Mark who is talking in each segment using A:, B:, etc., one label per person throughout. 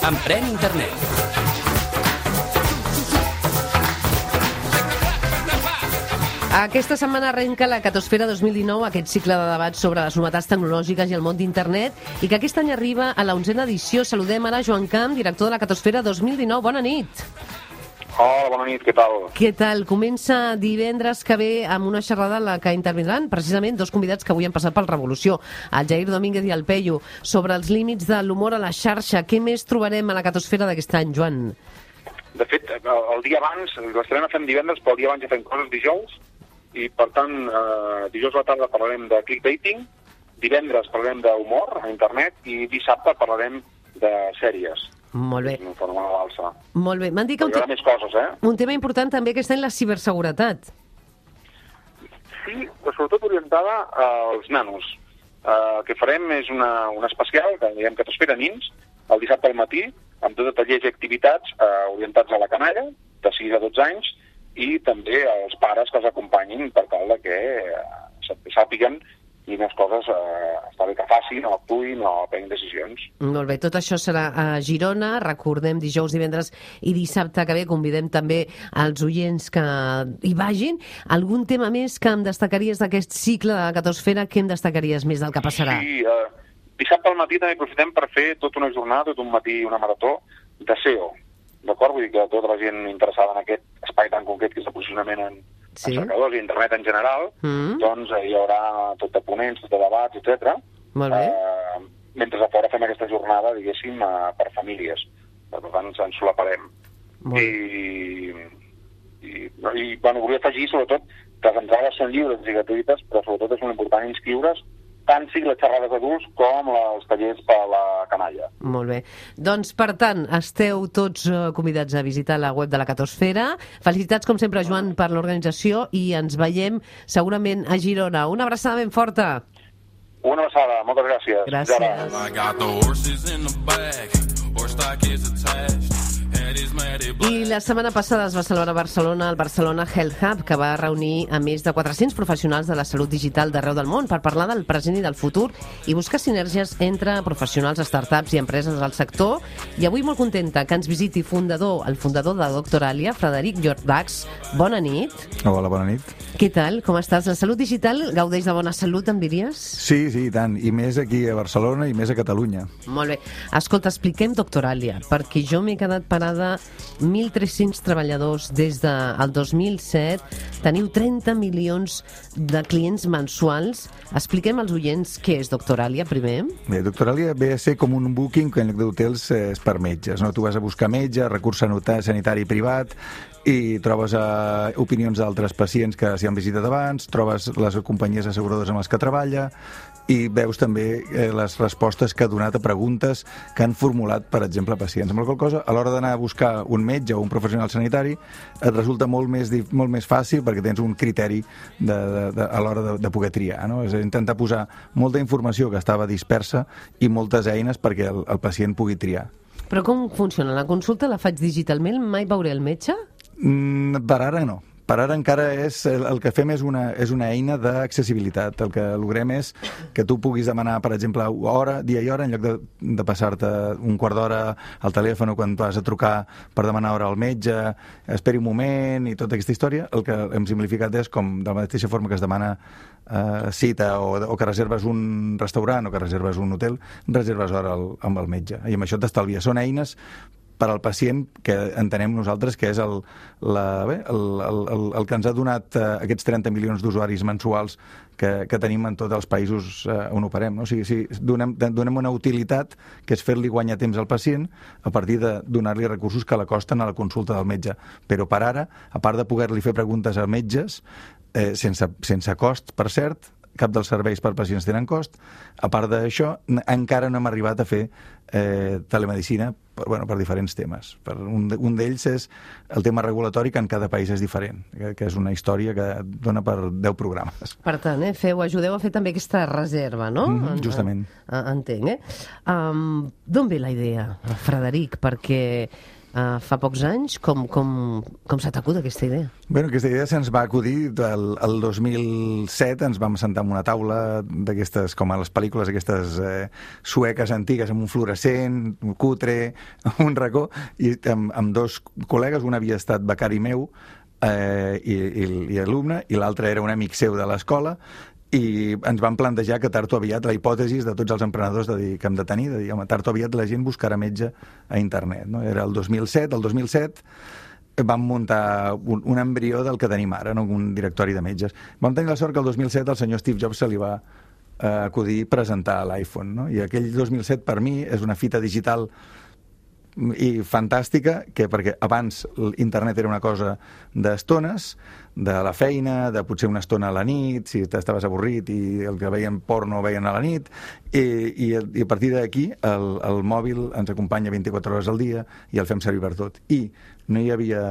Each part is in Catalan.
A: Emprèn Internet.
B: Aquesta setmana arrenca la Catosfera 2019, aquest cicle de debats sobre les novetats tecnològiques i el món d'internet, i que aquest any arriba a la 11a edició. Saludem ara Joan Camp, director de la Catosfera 2019. Bona nit.
C: Hola, bona nit, què tal?
B: Què tal? Comença divendres que ve amb una xerrada en la que intervindran precisament dos convidats que avui han passat pel Revolució, el Jair Domínguez i el Peyu, sobre els límits de l'humor a la xarxa. Què més trobarem a la Catosfera d'aquest any, Joan?
C: De fet, el dia abans, l'estrena fem divendres, però el dia abans ja fem coses dijous, i per tant, dijous a la tarda parlarem de clickbaiting, divendres parlarem d'humor a internet i dissabte parlarem de sèries.
B: Molt bé.
C: En forma de balsa.
B: Molt bé. M'han dit que
C: hi haurà més coses,
B: un tema important també aquest any, la ciberseguretat.
C: Sí, però sobretot orientada als nanos. El que farem és un especial, que diguem que t'espera nins, el dissabte al matí, amb tot de tallers i activitats orientats a la canalla, de 6 a 12 anys, i també als pares que els acompanyin per tal que sàpiguen quines coses està bé que facin, o actuïn, o prenguin decisions.
B: Molt bé, tot això serà a Girona, recordem dijous, divendres i dissabte que ve, convidem també als oients que hi vagin. Algun tema més que em destacaries d'aquest cicle de la Catosfera, què em destacaries més del que passarà?
C: Sí, dissabte al matí també aprofitem per fer tota una jornada, tot un matí una marató de SEO, d'acord? Vull dir que tota la gent interessada en aquest espai tan concret que és el posicionament en cercadors i internet en general, doncs hi haurà tot de ponents, tot de debats, etc.
B: Molt bé.
C: Mentre a fora fem aquesta jornada, diguéssim, per famílies. Per tant, ens solaparem. Bueno, volia afegir, sobretot, que les entrades són lliures i gratuïtes, però sobretot és molt important inscriure's, tant sigui les xerrades adults com els tallers per a la canalla.
B: Molt bé. Doncs, per tant, esteu tots convidats a visitar la web de la Catosfera. Felicitats, com sempre, Joan, per l'organització i ens veiem segurament a Girona. Una abraçada ben forta.
C: Una abraçada, moltes gràcies.
B: I la setmana passada es va celebrar a Barcelona el Barcelona Health Hub, que va reunir a més de 400 professionals de la salut digital d'arreu del món per parlar del present i del futur i buscar sinergies entre professionals, startups i empreses del sector. I avui molt contenta que ens visiti el fundador de Doctoralia, Frederic Jordax. Bona nit.
D: Hola, bona nit.
B: Què tal? Com estàs? La salut digital gaudeix de bona salut, em diries?
D: Sí, i tant. I més aquí a Barcelona i més a Catalunya.
B: Molt bé. Escolta, expliquem Doctoralia, perquè jo m'he quedat parada. 1.300 treballadors des del 2007. Teniu 30 milions de clients mensuals. Expliquem als oients què és Doctoralia, primer.
D: Bé, Doctoralia ve a ser com un booking que en lloc d'hotels és per metges. No? Tu vas a buscar metge, recurs sanitari privat, i trobes opinions d'altres pacients que s'hi han visitat abans, trobes les companyies asseguradores amb les que treballa i veus també les respostes que ha donat a preguntes que han formulat, per exemple, pacients. Amb la qual cosa, a l'hora d'anar a buscar un metge o un professional sanitari, et resulta molt més fàcil perquè tens un criteri a l'hora de poder triar. No? És intentar posar molta informació que estava dispersa i moltes eines perquè el pacient pugui triar.
B: Però com funciona? La consulta la faig digitalment? Mai veuré el metge?
D: Per ara no. Per ara encara el que fem és una eina d'accessibilitat. El que logrem és que tu puguis demanar, per exemple, dia i hora, en lloc de passar-te un quart d'hora al telèfon quan vas a trucar per demanar hora al metge, esperi un moment i tota aquesta història. El que hem simplificat és com, de la mateixa forma que es demana cita o que reserves un restaurant o que reserves un hotel, reserves hora amb el metge. I amb això t'estalvies. Són eines per al pacient que entenem nosaltres que és el que ens ha donat aquests 30 milions d'usuaris mensuals que tenim en tots els països on operem. No? O sigui, donem una utilitat que és fer-li guanyar temps al pacient a partir de donar-li recursos que l'acosten a la consulta del metge. Però per ara, a part de poder-li fer preguntes a metges, sense cost, per cert, cap dels serveis per pacients tenen cost. A part d'això, encara no hem arribat a fer telemedicina per diferents temes. Un d'ells és el tema regulatori, que en cada país és diferent, que és una història que dona per 10 programes.
B: Per tant, ajudeu a fer també aquesta reserva, no?
D: Justament.
B: Entenc, D'on ve la idea, Frederic? Perquè fa pocs anys. Com se t'acut aquesta idea?
D: Bueno, aquesta idea se'ns va acudir el 2007, ens vam sentar en una taula d'aquestes, com a les pel·lícules aquestes sueques antigues, amb un fluorescent, un cutre, un racó, i amb dos col·legues, un havia estat becari meu i alumne, i l'altre era un amic seu de l'escola, i ens vam plantejar que tard o aviat, la hipòtesi de tots els emprenedors que hem de tenir, de dir, home, tard o aviat la gent buscarà metge a internet. No? Era el 2007, vam muntar un embrió del que tenim ara, no? Un directori de metges. Vam tenir la sort que el 2007 al senyor Steve Jobs se li va acudir presentar l'iPhone. No? I aquell 2007 per mi és una fita digital i fantàstica, perquè abans internet era una cosa d'estones, de la feina, de potser una estona a la nit, si estaves avorrit i el que veien porno veien a la nit, i a partir d'aquí el mòbil ens acompanya 24 hores al dia i el fem servir per tot. I no hi havia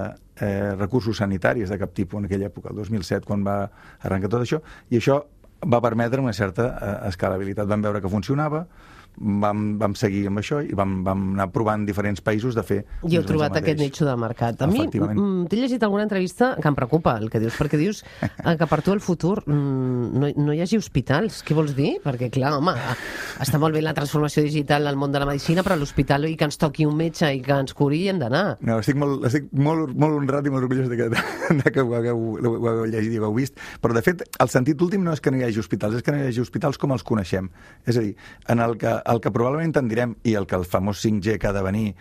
D: recursos sanitaris de cap tipus en aquella època, el 2007, quan va arrencar tot això, i això va permetre una certa escalabilitat. Vam veure que funcionava, vam seguir amb això i vam anar provant diferents països de fer...
B: I heu trobat aquest nicho de mercat. A mi t'he llegit alguna entrevista que em preocupa el que dius, perquè dius que per tu el futur no hi hagi hospitals. Què vols dir? Perquè, clar, home, està molt bé la transformació digital al món de la medicina, però a l'hospital i que ens toqui un metge i que ens curi hem d'anar.
D: No, estic molt honrat i molt orgullós que ho hagueu llegit i ho heu vist, però de fet el sentit últim no és que no hi hagi hospitals, és que no hi hagi hospitals com els coneixem. És a dir, en el que probablement tendirem, i el que el famós 5G que ha de venir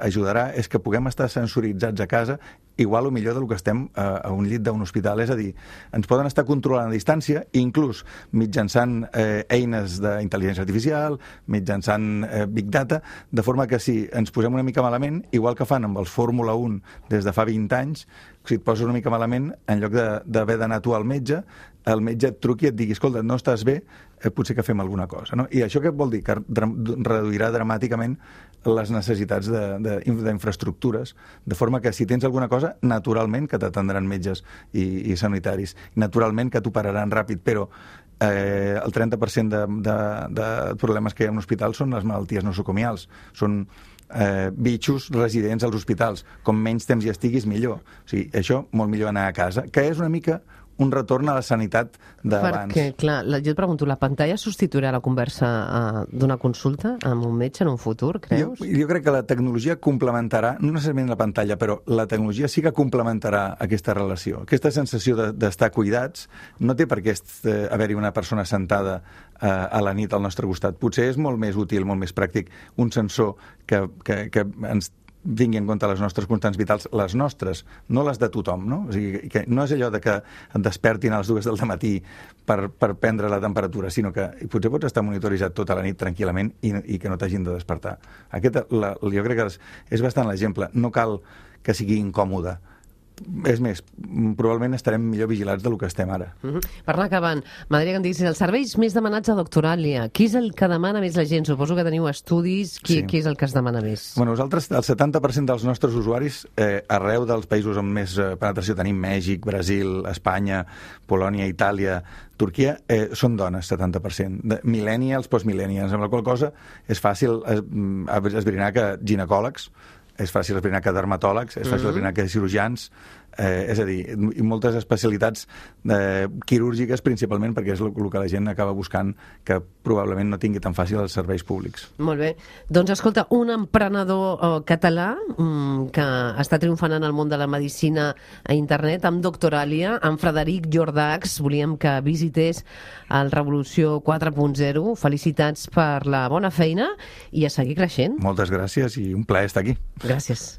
D: ajudarà, és que puguem estar sensoritzats a casa igual o millor del que estem a un llit d'un hospital. És a dir, ens poden estar controlant a distància, inclús mitjançant eines d'intel·ligència artificial, mitjançant Big Data, de forma que si ens posem una mica malament, igual que fan amb els Fórmula 1 des de fa 20 anys, si et poses una mica malament, en lloc d'haver d'anar tu al metge, el metge et truqui i et digui, escolta, no estàs bé, potser que fem alguna cosa. No? I això què vol dir? Que reduirà dramàticament les necessitats d'infraestructures, de forma que si tens alguna cosa, naturalment que t'atendran metges i sanitaris, naturalment que t'operaran ràpid, però el 30% de problemes que hi ha en l'hospital són les malalties nosocomials, són bitxos residents als hospitals. Com menys temps hi estiguis, millor. O sigui, això, molt millor anar a casa, que és una mica un retorn a la sanitat d'abans.
B: Perquè, clar, jo et pregunto, la pantalla substituirà la conversa d'una consulta amb un metge en un futur, creus?
D: Jo crec que la tecnologia complementarà, no necessàriament la pantalla, però la tecnologia sí que complementarà aquesta relació. Aquesta sensació d'estar cuidats no té per què haver-hi una persona sentada a la nit al nostre costat. Potser és molt més útil, molt més pràctic, un sensor que ens tingui en compte les nostres constants vitals, les nostres, no les de tothom, no? O sigui, que no és allò de que et despertin a les 2 del matí per prendre la temperatura, sinó que potser pots estar monitoritzat tota la nit tranquil·lament i que no t'hagin de despertar. Jo crec que és bastant l'exemple. No cal que sigui incòmode. És més, probablement estarem millor vigilats del que estem ara.
B: Per anar acabant, m'agradaria que em diguessis els serveis més demanats a Doctoralia. Qui és el que demana més la gent? Suposo que teniu estudis. Qui és el que es demana més?
D: Bueno, nosaltres, el 70% dels nostres usuaris, arreu dels països amb més penetració tenim, Mèxic, Brasil, Espanya, Polònia, Itàlia, Turquia, són dones, 70%. Millennials, postmillennials, amb la qual cosa és fàcil esbrinar que ginecòlegs, és fàcil esbrinar que dermatòlegs, és fàcil esbrinar que cirurgians, és a dir, i moltes especialitats quirúrgiques principalment, perquè és el que la gent acaba buscant, que probablement no tingui tan fàcil els serveis públics.
B: Molt bé. Doncs escolta, un emprenedor català que està triomfant en el món de la medicina a internet amb Doctoralia, amb Frederic Jordax. Volíem que visités el Revolució 4.0. Felicitats per la bona feina i a seguir creixent.
D: Moltes gràcies i un plaer estar aquí.
B: Gràcies.